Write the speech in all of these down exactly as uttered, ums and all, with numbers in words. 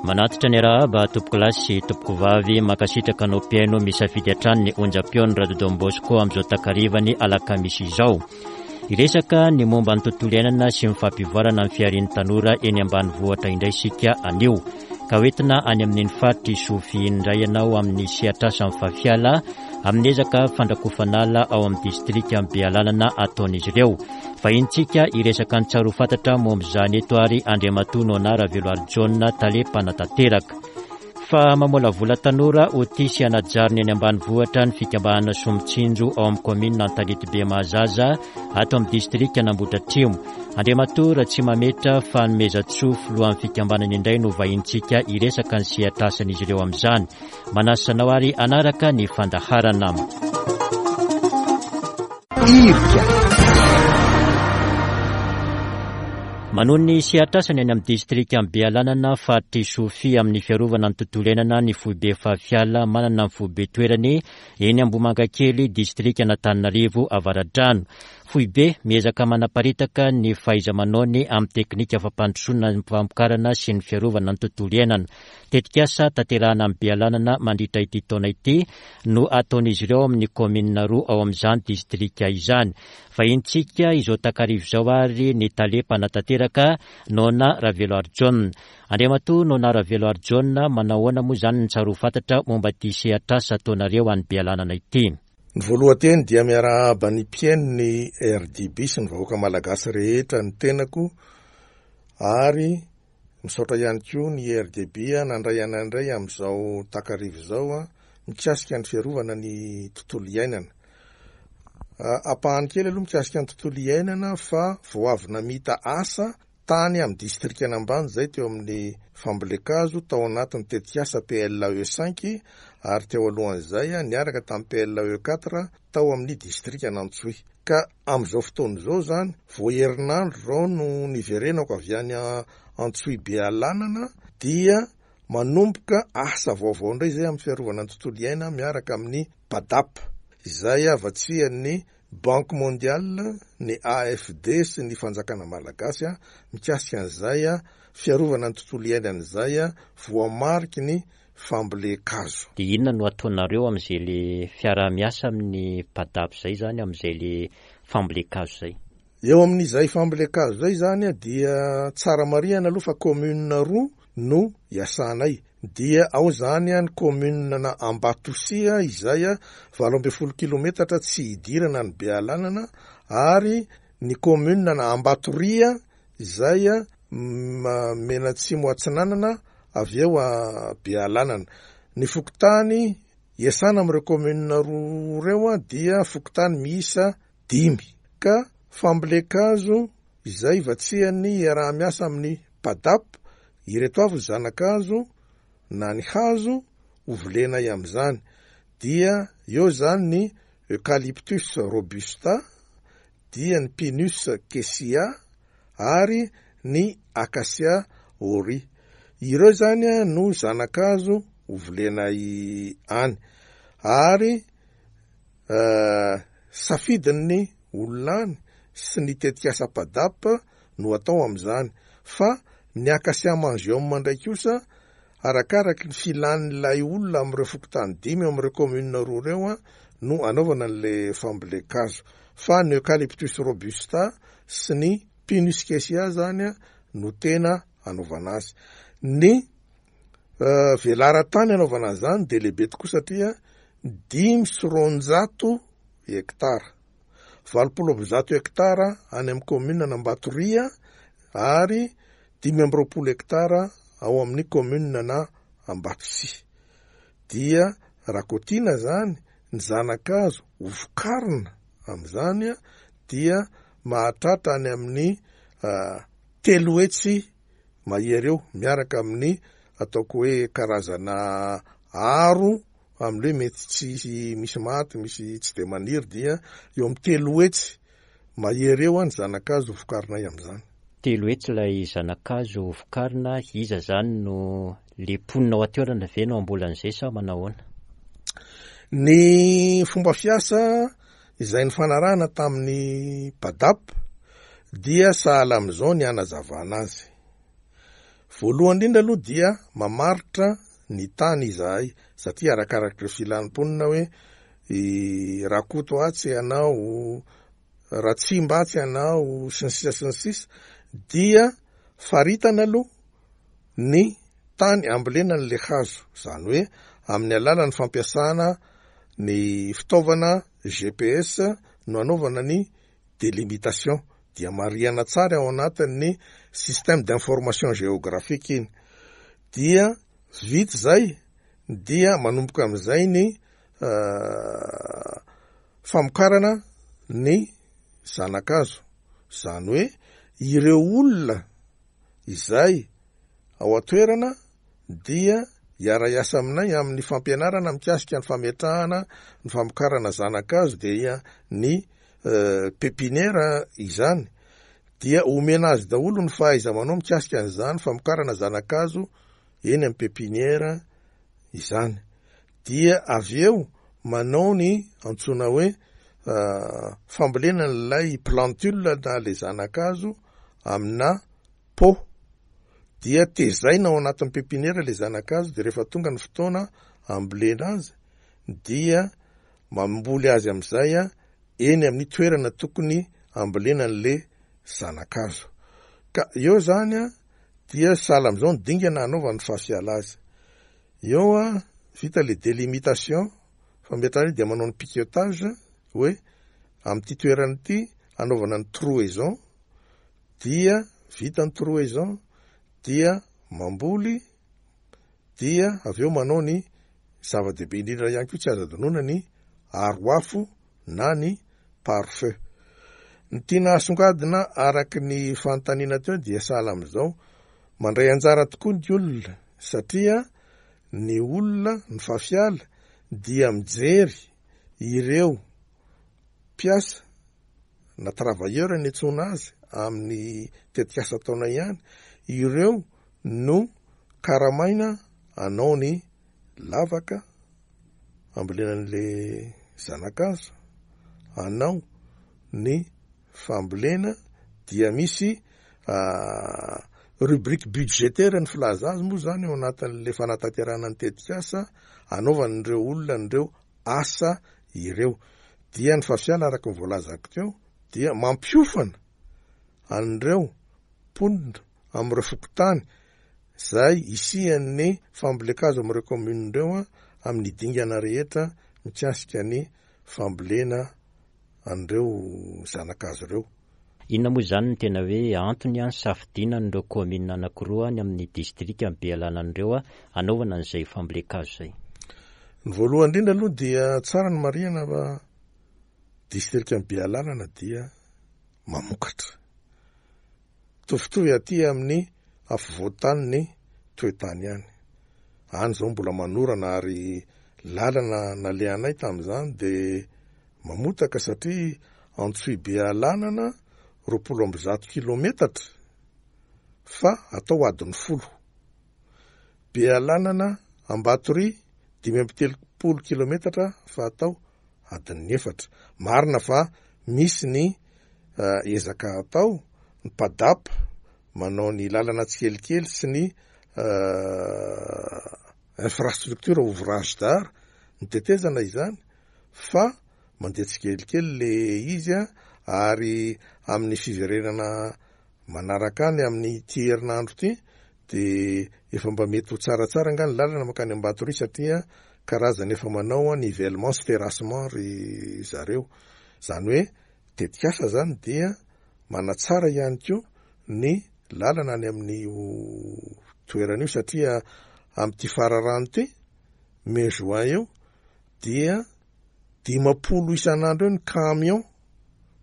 Manatitra ny arahaba tompokolahy sy tompokovavy, mankasitraka anao mpihaino misafidy hatrany ny onjam-peon'ny Radio Don Bosco amin'izao takarivany alakamisy izao. Hiresaka ny momba ny tontolo iainana sy ny fampivoarana ny fiharian'ny tanora eny ambanivohitra indray isika anio. Ka hoentina any amin'iny faritry Sofia indray ianao amin'ny sehatr'asan'ny Fafiala amin'ny ezaka fandrakofanala ao amin'ny distrika Bealanana ataon'izy ireo. Vahintsika hiresaka ny tsara ho fantatra momba izany eto ary Andriamatoa Nona Raveloarijaona, tale mpanatanteraka. Fa mamolavola tanora ho tia sy hanajarina eny ambanivohitra ny fikambanana Somitsinjo ao amin'ny kaominina Antanetibe Mahazaza ato amin'ny distrika Nambodratrimo. Andriamatoa Ratsimametra Fanomezantsoa, filohan'ny fikambanana indray no vahintsika hiresaka ny sehatr'asan'izy ireo amin'izany. Manasa anao ary hanaraka ny fandaharana. Irika. Manohy ny sehatr'asany any amin'ny distrika Bealanana faritry Sofia amin'ny fiarovana ny tontolo iainana ny foibe Fafiala manana ny foibe toerany eny Ambohimangakely distrika Antananarivo Avaradrano. Foibe miezaka manaparitaka ny fahaiza-manaony amin'ny teknika fampandrosoana ny famokarana sy ny fiarovana ny tontolo iainana. Tetikasa tanterahana amin'ny Bealanana mandritra ity taona ity no ataon'izy ireo amin'ny kaominina roa ao amin'izany distrika izany. Vahintsika izao takarivo izao ary ny tale mpanatanteraka Nona Raveloarijaona. Andriamatoa Nona Raveloarijaona, manao ahoana moa izany ny tsara ho fantatra momba ity sehatr'asa ataonareo any Bealanana ity? Ny voalohan-teny dia miarahaba ny mpihaino ny R D B sy ny vahoaka malagasy rehetra ny tenako, ary misaotra ihany koa ny R D B nandray anandray amin'izao takarivo izao mikasika ny fiarovana ny tontolo iainana. Ampahany kely aloha mikasika ny tontolo iainana fa vao avy namita asa tany amin'ny distrika Ambany izay teo amin'ny fambolen-kazo tao anatin'ny tetikasa P L E cinq ary teo alohan'izay niaraka tamin'ny P L E quatre tao amin'ny distrika Antsohihy. Ka amin'izao fotoana izao zany vao herinandro izao no niverenako avy any Antsohihy Bealanana dia manomboka asa vaovao indray izay amin'ny fiarovana ny tontolo iainana miaraka amin'ny PADAP izay avatsian'ny Banque Mondiale, ny A F D sy ny fanjakana malagasy mikasika an'izay fiarovana ny tontolo iainana izay voamariky ny fambolen-kazo. Dia inona no ataonareo amin'izay le fiaraha-miasa amin'ny PADAP izay zany, amin'izay le fambolen-kazo izay? Eo amin'izay fambolen-kazo izay zany dia tsara marihana aloha fa commune roa no iasanay. Dia ao zany ny commune na Ambatosia izay valo ambin'ny folo kilometatra tsy hidirana ny Bealanana, ary ny commune na Ambatoria izay Menatsimo Atsinanana avy eo a Bealanana. Ny fokontany iasana amin'ireo commune roa ireo dia fokontany miisa dimy. Ka fambolen-kazo izay vatsian'ny iaraha-miasa amin'ny PADAP, ireto avy ny zana-kazo na ny hazo hovolenay amin'izany. Dia eo zany ny Eucalyptus robusta, dia ny Pinus kesiya ary ny Acacia ori. Ireo zany no zana-kazo hovolenay any. Ary, eh, safidin'ny olona any sy ny tetikasa PADAP no atao amin'izany. Fa ny Acacia mangium indray kosa arakaraky ny filan'ilay olona amin'ireo fokontany dimy amin'ireo commune roa ireo a, no anaovana an'ilay fambolen-kazo. Fa ny Eucalyptus robusta sy ny Pinus kesiya zany a, no tena anaovana azy. Ny, eh, velaran-tany anaovana an'izany dia lehibe tokoa satria dimy sy roanjato hektara. Valopolo amby zato hektara any amin'ny commune Ambatoria ary dimy amby roapolo hektara ao amin'ny commune na Ambatosia. Dia raha kotiana zany ny zana-kazo hovokarina amin'izany dia mahatratra any amin'ny, ah, telo hetsy mahery eo miaraka amin'ny ataoko hoe karazana aro amin'ilay hoe mety tsy misy maty, misy tsy de maniry, dia eo amin'ny telo hetsy mahery eo ny zana-kazo vokarinay amin'izany. Telo hetsy ilay zana-kazo vokarina, iza zany no le mponina ao an-toerana ve no hamboly an'izay sa manao ahoana? Ny fomba fiasa izay nifanarahana tamin'ny PADAP dia sahala amin'izao ny hanazavana azy. Voalohany indrindra aloha dia mamaritra ny tany izahay, satria arakarak'ireo filan'ny mponina hoe Rakoto atsy ianao, Ratsimba atsy ianao, sy ny sisa sy ny sisa, dia faritana aloha ny tany ambolena an'ilay hazo, izany hoe amin'ny alalan'ny fampiasana ny fitaovana G P S no anaovana ny délimitation, dia marihana tsara ao anatin'ny système d'information géographique iny. Dia vita zay, dia manomboka am'izay ny famokarana ny zanakazo, zany hoe ireo olona izay ao an-toerana dia hiara-hiasa aminay amin'ny fampianarana mikasika ny fametrahana ny famokarana zanakazo, dia ny pépinière izany, dia omena azy daholo ny fahaiza manao mikasika an'izany famokarana zanakazo eny amin'ny pépinière izany. Dia avy eo manao ny antsoina hoe fambolena n'ilay plantule na le zanakazo amina pot, dia tezaina ao anatin'ny pépinière le zanakazo, de rehefa tonga ny fotoana ambolena azy dia mamboly azy am'izay a eny amin'ny toerana tokony ambolena an'le zanakazo. Ka eo zany a dia sahala am'izao ny dingana anaovan'ny FAFIALA azy. Eo a vita le délimitation fametrahana io, dia manao ny piquetage hoe am'ity toerana ity anaovana ny trouaison, dia vita ny trouaison, dia mamboly, dia avy eo manao ny zava-dehibe indrindra ihany koa tsy azo adinoina, ny aro afo na ny pare-feu. Ny tiana asongadina araky ny fanontaniana teo dia sahala am'izao, mandray anjara tokoa ny olona, satria ny olona ny FAFIALA dia mijery ireo mpiasa na travailleur ny antsoina azy amin'ny tetikasa ataona ihany, ireo no karamaina anao ny lavaka ambolenan'le zanakazo, anao ny fambolena, dia misy rubrique budgétaire ny filaza azy moa zany eo anatin'le fanatanterahana ny tetikasa anaovan'ireo olona nireo asa ireo. Dia ny FAFIALA, araka ny voalazako teo, dia mampiofana an'ireo mponina am'ireo fokotany zay isian'ny fambolen-kazo am'ireo commune reo a amin'ny dingana rehetra mikasika ny fambolena an'ireo zanakazo ireo. Inona moa zany ny tena hoe antony a nisafidiana n'ireo commune anankiroa ny amin'ny distrika ny Bealanana a anaovana an'izay fambolen-kazo zay? Ny voalohany indrindra aloha dia tsara ny marihana fa distrika ny Bealanana dia mamokatra mitovitovy aty amin'ny afovoantany ny toetany ihany any zao, mbola manorana ary lalana nalehanay tam'izany de mamotaka, satria Antsohihy Bealanana roapolo amby zato kilometatra fa atao adiny folo, Bealanana Ambatoria dimy amby telopolo kilometatra fa atao adin'ny efatra. Marina fa misy ny ezaka atao, ny PADAP manao ny lalana tsikelikely sy ny infrastructure ouvrage d'art ny tetezana izany, fa mandeha tsikelikely le izy a ary amin'ny fiverenana manaraka any amin'ny ty herinandro ty de efa mba mety ho tsaratsara nga ny lalana makany Ambatoria, satria karazany efa manao a nivellement sy terrassement ry zareo. Zany hoe tetikasa zany dia manatsara ihany ko ny lalana any amin'ny toerana io, satria am'ty fararano ty mai juin eo dia dimapolo isan'andro eo ny camion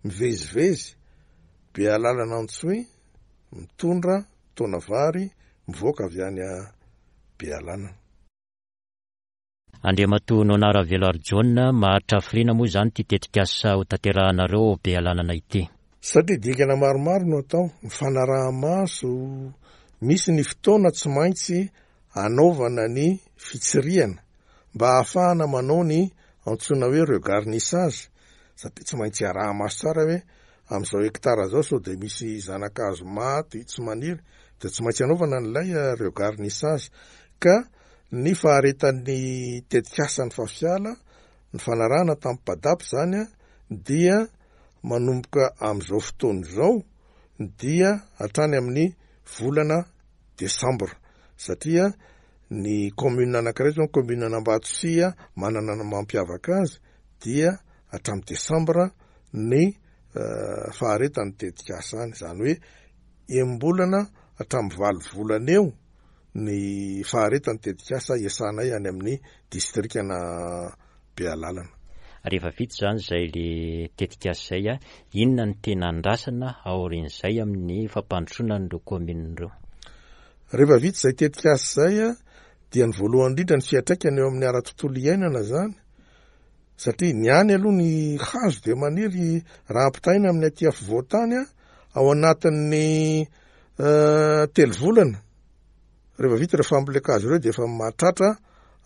mivezivezy Bealanana Antsohihy mitondra taona vary mivoaka avy any a Bealanana. Andriamatoa Nonara Veloarjaona, maharitra hafiriana moa zany ty tetikasa ho tanterahanareo Bealanana ity? Satria dingana maromaro no atao, ny fanaraha-maso, misy ny fotoana tsy maintsy anaovana ny fitsirihana mba ahafahana manao ny antsoina hoe regarnissage, satria tsy maintsy araha-maso tsara hoe am'izao hektara zao sao de misy zanakazo maty tsy maniry. De tsy maintsy anaovana an'ilay regarnissage. Ka ny faharetan'ny tetikasa ny Fafiala ny fanarahana tamin'ny PADAP zany a dia manomboka am'izao fotoana izao dia hatrany amin'ny volana desambra, satria ny commune anankiray zao, ny commune an'Ambatosia, manana ny mampiavaka azy, dia hatramin'ny desambra ny faharetan'ny tetikasa any, zany hoe enim-bolana hatramin'ny valo volana eo ny faharetan'ny tetikasa iasanay any amin'ny distrika-na Bealalana. Rehefa vita zany zay le tetikasa zay a, inona ny tena andrasana aorian'izay amin'ny fampandrosoana an'ireo commune ireo? Rehefa vita zay tetikasa zay a, dia ny voalohany indrindra, ny fiantraikany eo amin'ny ara-tontolo iainana zany, satria ny any aloha ny hazo de maniry, raha ampitaina amin'ny aty afovoan-tany a, ao anatin'ny telo volana rehefa vita ireo fambolen-kazo ireo de efa mahatratra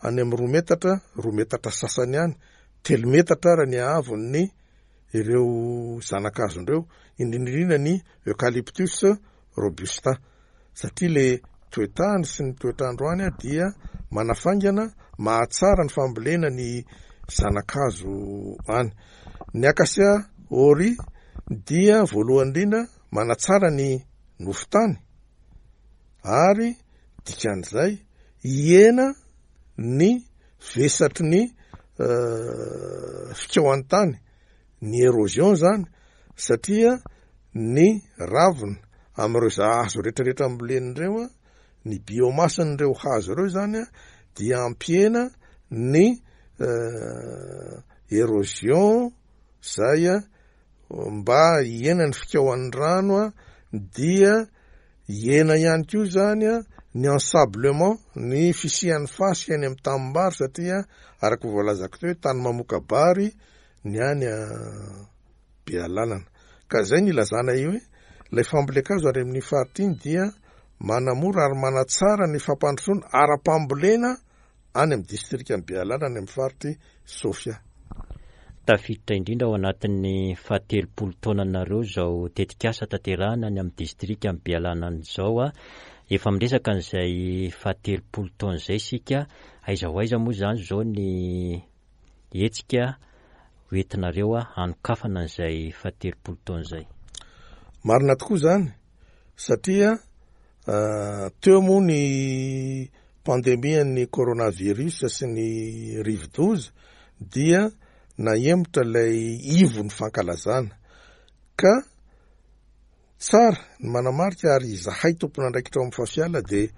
any amin'ny roa metatra, roa metatra sasany any, telo metatra ara ny haavon'ny ireo zana-kazondreo, indrindrindrindra ny Eucalyptus robusta, satria le toetany sy ny toetrandro any a dia manafaingana, mahatsara ny fambolena ny zana-kazo any. Ny Acacia auriei dia voalohany indrindra manatsara ny nofon-tany, ary dikan'izay hihena ny vesatry ny fikaohan'ny tany, ny érosion zany, satria ny ravina am'ireo hazo rehetrarehetra ambolen'ireo a, ny biomasse-n'ireo hazo ireo zany a dia ampihena ny érosion zay a, mba hihena ny fikaohan'ny rano a, dia hihena ihany koa zany a ny ensablement, ny fisian'ny fasika any amin'ny tanimbary, satria araka voalazako teo hoe tany mamoka bary ny any a Bealalana. Ka zay ny ilazana io hoe ilay fambolen-kazo ary amin'ny faritra iny dia manamora ary manatsara ny fampandrosoana ara-pambolena any amin'ny distrika ny Bealalana, any amin'ny faritry Sofia. Tafiditra indrindra ao anatin'ny fahatelopolo taonanareo zao tetikasa tanterahana any amin'ny distrika ny Bealanana izao a. Efa miresaka an'izay fahatelopolo taona izay sika, aiza ho aiza moa zany zao ny hetsika hoentinareo a hanokafana an'izay fahatelopolo taona izay? Marina tokoa zany, satria teo moa ny pandemian'ny coronavirus sy ny rivodoza dia nahemotra ilay ivo ny fankalazana. Ka tsara ny manamarika, ary izahay tompon'andraikitra ao amin'ny Fafiala de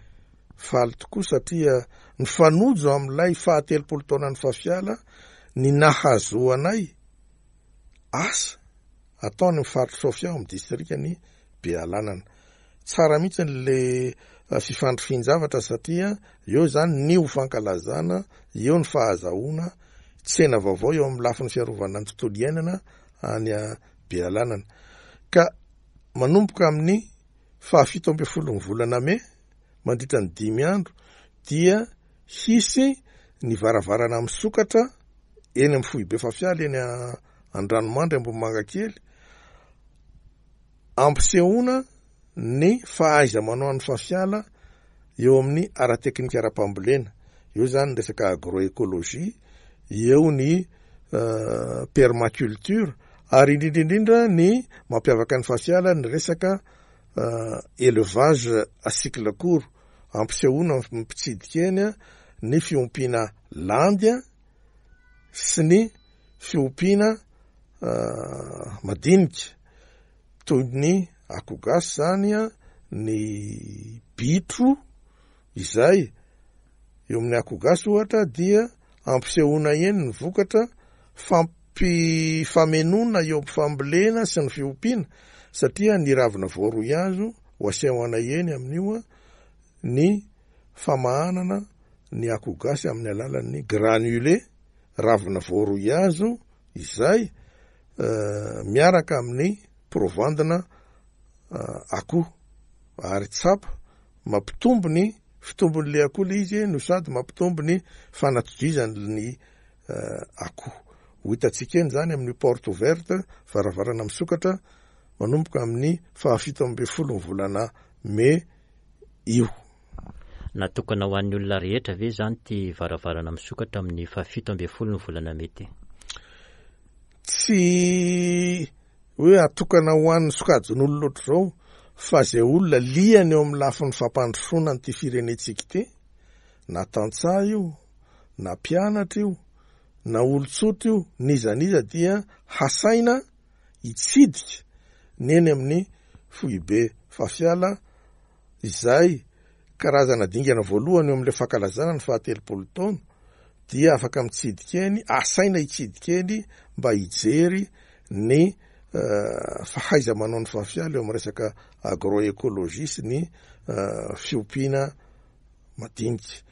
faly tokoa, satria nifanojo amin'ilay fahatelopolo taonan'ny Fafiala ny nahazoanay asa atao ny faritra Sofia ao amin'ny distrika ny Bealanana. Tsara mihitsy le fifandrifin-javatra, satria eo zany ny ho fankalazana, eo ny fahazahoana tsena vaovao eo amin'ny lafiny fiarovana ny tontolo iainana any Bealanana. Ka manomboka amin'ny fahafito amby folo ny volana mey, mandritra ny dimy andro, dia hisy ny varavarana misokatra eny amin'ny foibe Fafiala eny Andranomandry Ambohimangakely, ampisehoana ny fahaiza manao ny Fafiala eo amin'ny ara-teknika ara-pambolena. Eo zany ny resaka agroécologie, eo ny permaculture, ary indrindrindrindra ny mampiavaka ny Fafiala ny resaka élevage à cycle court, ampisehoana mpitsidika eny a ny fiompiana landy a sy ny fiompiana madinika toy ny akoho gasy zany a, ny bitro. Izay eo amin'ny akoho gasy ohatra dia ampisehoana eny ny vokatra fampifamenoana eo ampifambolena sy ny fiompiana, satria ny ravina voaroy hazo ho asehoana eny amin'io a, ny famahanana ny akoho gasy amin'ny alalan'ny granulé ravina voaroy hazo izay miaraka amin'ny provandina akoho, ary tsapa mampitombo ny fitombon'le akoho le izy no sady mampitombo ny fanatodizany ny akoho. Ho hitantsika eny zany amin'ny porte ouverte, varavarana misokatra, manomboka amin'ny fahafito amby folo ny volana mey io. Natokana ho an'ny olona rehetra ve zany ty varavarana misokatra amin'ny fahafito ambin'ny folo ny volana mey ty? Tsy hoe atokana ho an'ny sokajin'olona loatra zao, fa zay olona liany eo amin'ny lafiny fampandrosoana nyity firenentsika ity, na tantsaha io, na mpianatra io, na olon-tsotra io, n'iza n'iza dia hasaina hitsidika ny eny amin'ny foibe Fafiala, izay karazana dingana voalohany eo amin'ilay fankalazana ny fahatelopolo taona, dia afaka mitsidika eny, asaina hitsidika eny mba hijery ny fahaiza-manao ny Fafiala eo amin'ny resaka agroécologie sy ny fiompiana madinika.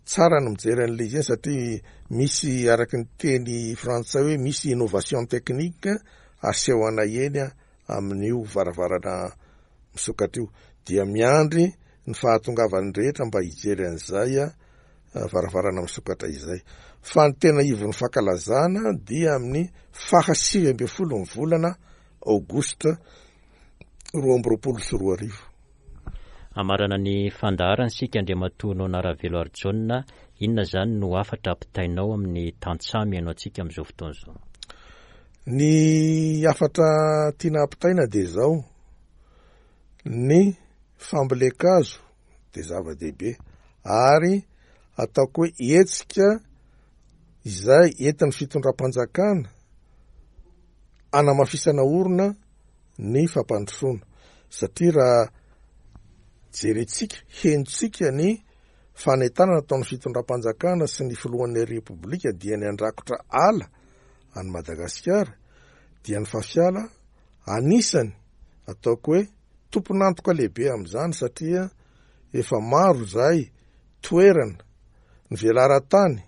Tsara ny mijery an'ilay izy eny satria misy, araky ny teny frantsay hoe misy innovation technique aseho anay eny amin'io varavarana misokatra io. Dia miandry ny fahatongavan'ny rehetra mba hijery an'izay varavarana misokatra izay. Fa ny tena ivon'ny fankalazana dia amin'ny fahasivy ambin'ny folo ny volana aogositra roa amby roapolo sy roa arivo. Amarana ny fandaharana isika, Andriamatoa Nona Raveloarijaona, inona zany no hafatra ampitainao amin'ny tantsaha mihaino antsika amin'izao fotoana izao? Ny hafatra tiana ampitaina dia izao: ny fambolen-kazo dia zava-dehibe, ary ataoko hoe hetsika izay entin'ny fitondram-panjakana anamafisana orina ny fampandrosoana, satria raha jerentsika, henontsika ny fanentanana ataon'ny fitondram-panjakana sy ny filohan'ny Repoblika dia ny handrakotra ala any Madagasikara, dia ny Fafiala anisany ataoko hoe tompon'antoka lehibe amin'izany, satria efa maro izay toerana ny velaran-tany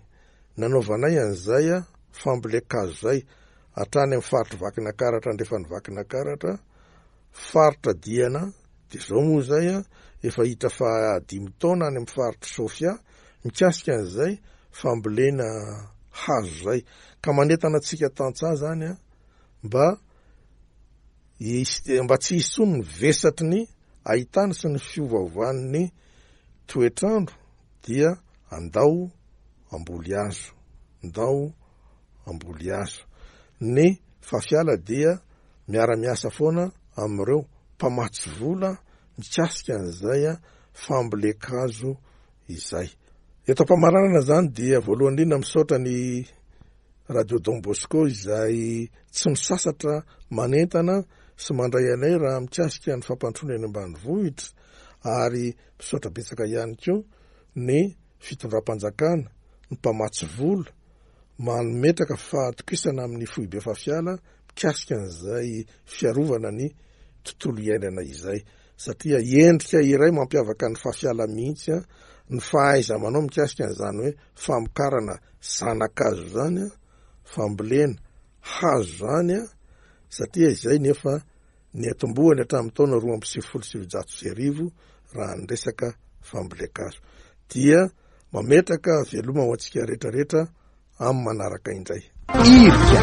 nanaovanay an'izay fambolen-kazo izay, hatrany amin'ny faritry Vakinakaratra, andrefan'ny Vakinakaratra, faritra Diana, dia zao moa izay efa hita fa dimy taona any amin'ny faritry Sofia mikasika an'izay fambolena hazo izay. Ka manentana antsika tantsaha zany a mba hisy, mba tsy hisy intsony ny vesatry ny ahitany sy ny fiovaovan'ny toetrandro, dia andao hamboly hazo, andao hamboly hazo. Ny Fafiala dia miara-miasa foana amin'ireo mpamatsy vola mikasika an'izay fambolen-kazo izay. Eto am-pamaranana zany dia voalohany indrindra misaotra ny Radio Don Bosco izay tsy misasatra manentana sy mandray anay raha mikasika ny fampandrosoana eny ambanivohitra, ary misaotra betsaka ihany koa ny fitondram-panjakana, ny mpamatsy vola mametraka fahatokisana amin'ny foibe Fafiala mikasika an'izay fiarovana ny tontolo iainana izay, satria endrika iray mampiavaka ny Fafiala mihitsy ny fahaiza-manao mikasika an'izany hoe famokarana zana-kazo zany, fambolena hazo zany, satria izay nefa niatombohany hatramin'ny taona roa amby sivifolo sy sivinjato sy arivo raha ny resaka fambolen-kazo. Dia mametraka veloma ho antsika rehetrarehetra amin'ny manaraka indray. Irika.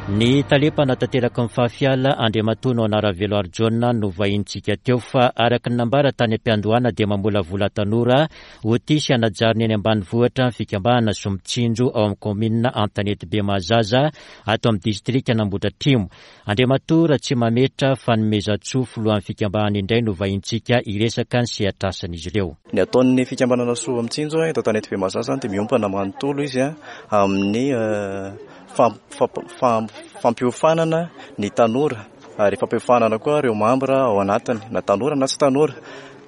Ny tale mpanatanteraka ny Fafiala, Andriamatoa Nona Raveloarijaona, no vahintsika teo, fa araka ny nambara tany am-piandohana dia mamolavola tanora ho tia sy hanajarina eny ambanivohitra ny fikambanana Somitsinjo ao amin'ny kaominina Antanetibe Mahazaza ato amin'ny distrikan'Ambohidratrimo. Andriamatoa Ratsimametra Fanomezantsoa, filohan'ny fikambanana indray no vahintsika hiresaka ny sehatrasan'izy ireo. Ny ataon'ny fikambanana Somitsinjo eto Antanetibe Mahazaza dia miompana manontolo izy amin'ny fampiofanana ny tanora, ary fampiofanana koa ireo mambra ao anatiny, na tanora na tsy tanora,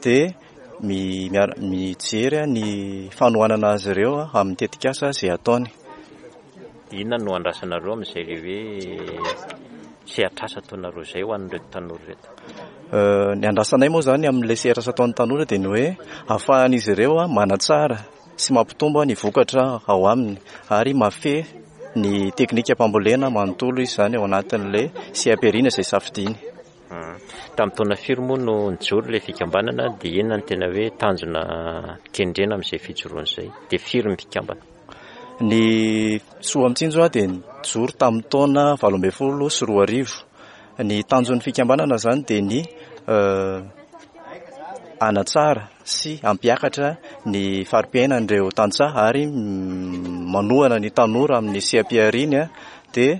dia mijery ny fanohanana azy ireo amin'ny tetikasa izay ataony. Inona no andrasanareo amin'izay le hoe sehatrasa ataonareo izay ho an'ireto tanora ireto? Ny andrasanay moa zany amin'ilay sehatrasa ataon'ny tanora dia ny hoe ahafahan'izy ireo manatsara sy mampitombo ny vokatra ao aminy, ary mahafehy ny teknika mpambolena manontolo izy zany ao anatin'ilay seha-pihariana izay safidiany. Tamin'ny taona firy moa no nijoro ilay fikambanana, dia inona no tena hoe tanjona kendrena amin'izay fijoroana izay? Dia firy ny mpikambana? Ny Soamitsinjo dia nijoro tamin'ny taona valo ambin'ny folo sy roa arivo. Ny tanjon'ny fikambanana zany dia ny hanatsara sy hampiakatra ny fari-piainan'ireo tantsaha ary manohana ny tanora amin'ny seha-pihariany dia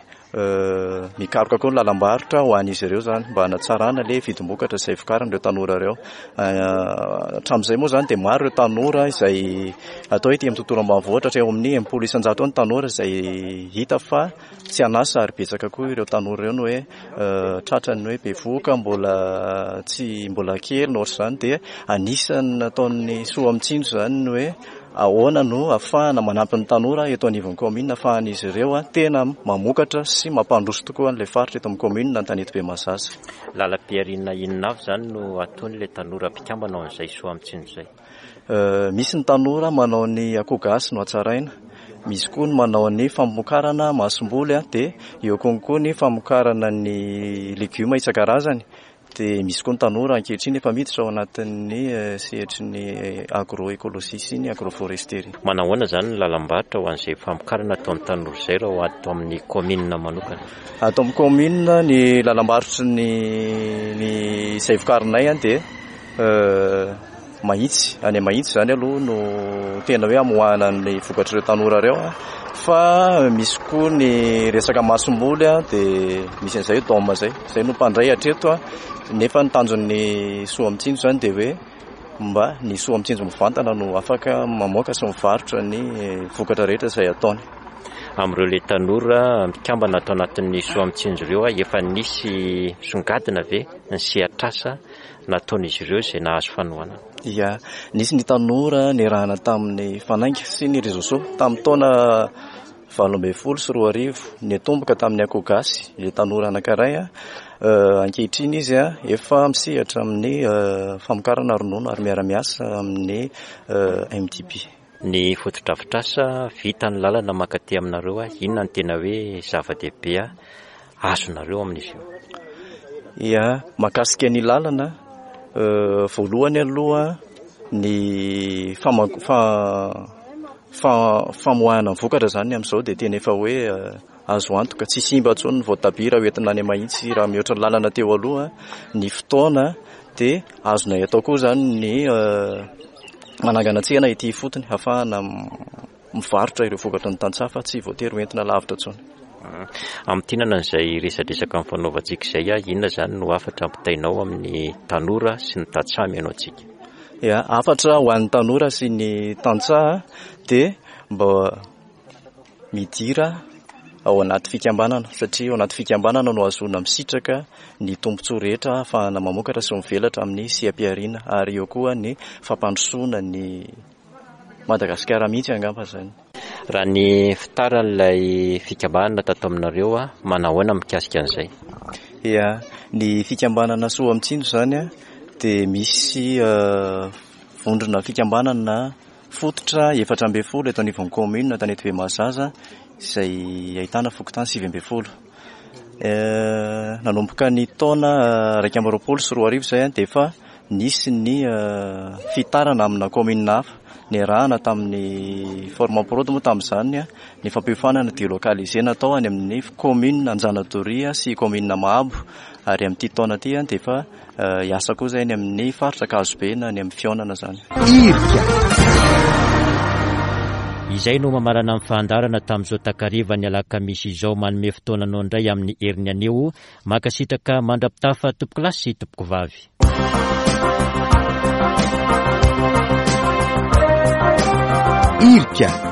mikaroka koa ny lalam-barotra ho an'izy ireo zany mba hanatsarana le vidim-bokatra izay vokarin'ireo tanora ireo. Hatramin'izay moa zany dia maro ireo tanora izay atao hoe ety amin'ny tontolo ambanivohitra, hatreo amin'ny enimpolo isan-jato eo ny tanora izay hita fa tsy an'asa, ary betsaka koa ireo tanora ireo no hoe tratrany hoe bevohoka mbola tsy mbola kely na ohatr'izany. Dia anisan'ny nataon'ny Soa Mitsinjo zany ny hoe ahoana no ahafahana manampy ny tanora eto anivon'ny commune, ahafahan'izy ireo tena mamokatra sy mampandroso tokoa an'ilay faritra eto amin'ny commune Antanetibe Mahazaza. Lalam-pihariana inona avy zany no ataon'ilay tanora mpikambana ao amin'izay Soa Mitsinjo izay? Misy ny tanora manao ny akoho gasy no hatsaraina, misy koa ny manao ny famokarana masomboly, dia eo konkoa ny famokarana ny legioma isan-karazany. Dia misy koa ny tanora ankehitriny efa miditra ao anatin'ny sehatry ny agroécologie sy ny agroforesterie. Manahoana zany ny lalam-barotra ho an'izay famokarana ataon'ny tanora izay raha ato amin'ny commune manokana? Ato amin'ny commune ny lalam-barotry ny ny izay vokarinay dia Mahitsy, any Mahitsy zany aloha no tena hoe amoahana ny vokatr'ireo tanora ireo, fa misy koa ny resaka masomboly dia misy an'izay dôme zay, zay no mpandray hatreto, nefa ny tanjon'ny Soa Mitsinjo zany dia hoe mba ny Soa Mitsinjo mivantana no afaka mamoaka sy mivarotra ny vokatra rehetra izay ataony. Amin'ireo le tanora mikambana ato anatin'ny Soa Mitsinjo ireo, efa nisy songadina ve ny sehatr'asa nataon'izy ireo izay nahazo fanohanana? Ia, nisy ny tanora niarahana tamin'ny Fanainga sy ny Réseau Soa tamin'ny taona valo ambin'ny folo sy roa arivo, niatomboka tamin'ny akoho gasy ilay tanora anankiray. Ankehitriny izy efa misehatra amin'ny famokarana ronono ary miara-miasa amin'ny M D P. Ny fotodrafitrasa vita ny lalana mankaty aminareo, inona ny tena hoe zava-dehibe azonareo amin'izy io? Ia, mahakasika ny lalana, voalohany aloha ny fama-, fa-, fa-, famoahana ny vokatra zany amin'izao dia tena efa hoe azo antoka, tsy simba intsony ny voatabia raha hoentina any Mahitsy raha mihoatra ny lalana teo aloha ny fotoana. Dia azonay atao koa zany ny manangana tsena ety ifotony ahafahana mivarotra ireo vokatra ny tantsaha fa tsy voatery hoentina lavitra intsony. Amintinana an'izay resadresaka mifanaovantsika izay, inona zany no hafatra ampitainao amin'ny tanora sy ny tantsaha mihaino antsika? Ia, hafatra ho an'ny tanora sy ny tantsaha dia mba midira ao anaty fikambanana, satria ao anaty fikambanana no ahazoana misitraka ny tombontsoa rehetra ahafahana mamokatra sy mivelatra amin'ny seha-pihariana, ary eo koa ny fampandrosoana ny Madagasikara mihitsy angamba zany. Raha ny fitaran'ilay fikambanana tato aminareo, manahoana mikasika an'izay? Ia, ny fikambanana Soa Mitsinjo zany dia misy vondrona fikambanana fototra efatra ambin'ny folo eto anivon'ny commune Antanetibe Mahazaza izay ahitana fokontany sivy ambin'ny folo. Nanomboka ny taona iraika amby roapolo sy roa arivo izay dia efa nisy ny fitarana amina commune hafa niarahana tamin'ny Formaprod moa tamin'izany ny fampiofanana délocalisé natao any amin'ny commune Anjanadoria sy commune Mahabo, ary amin'ity taona ity dia efa hiasa koa izay any amin'ny faritra Ankazobe na any amin'ny fihaonana izany. Irika. Izay no mamarana ny fandaharana tamin'izao takariva ny alakamisy izao. Manome fotoana anao indray amin'ny heriny anio. Mankasitraka mandra-pitafa tompokolahy sy tompokovavy. Irika.